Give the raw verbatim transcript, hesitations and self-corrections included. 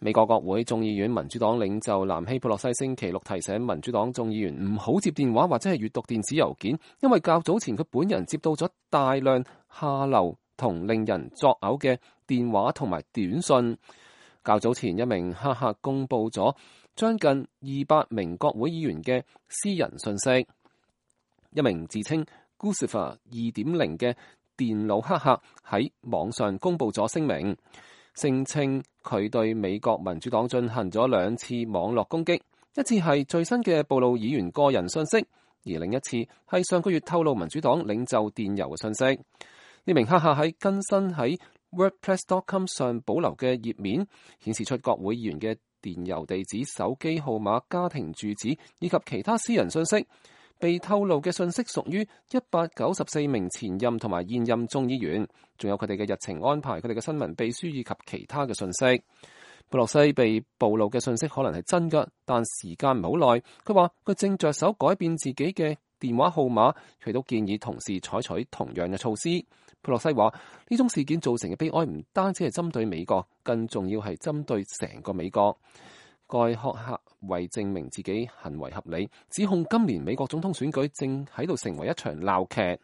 美國國會眾議院民主黨領袖南希·佩洛西星期六提醒民主黨眾議員唔好接電話或者係閱讀電子郵件，因為較早前佢本人接到咗大量下流同令人作嘔嘅電話同埋短信。較早前一名黑客公佈咗將近二百名國會議員嘅私人信息。一名自稱 Guccifer 二點零嘅電腦黑客喺網上公佈咗聲明，聲稱佢對美國民主黨進行咗兩次網絡攻擊，一次係最新嘅暴露議員個人信息，而另一次係上個月透露民主黨領袖電郵嘅信息。呢名黑客喺更新喺 wordpress dot com 上保留嘅頁面，顯示出國會議員嘅電郵地址、手機號碼、家庭住址以及其他私人信息。被透露嘅信息屬於一百九十四名前任同埋現任眾議員，仲有佢哋嘅日程安排、佢哋嘅新聞秘書以及其他嘅信息。佩洛西被暴露嘅信息可能係真㗎，但時間唔好耐。佢話佢正着手改變自己嘅電話號碼，佢都建議同事採取同樣嘅措施。佩洛西話呢種事件造成嘅悲哀唔單止係針對美國，更重要係針對成個美國。該黑客為證明自己行為合理，指控今年美國總統選舉正喺度成為一場鬧劇。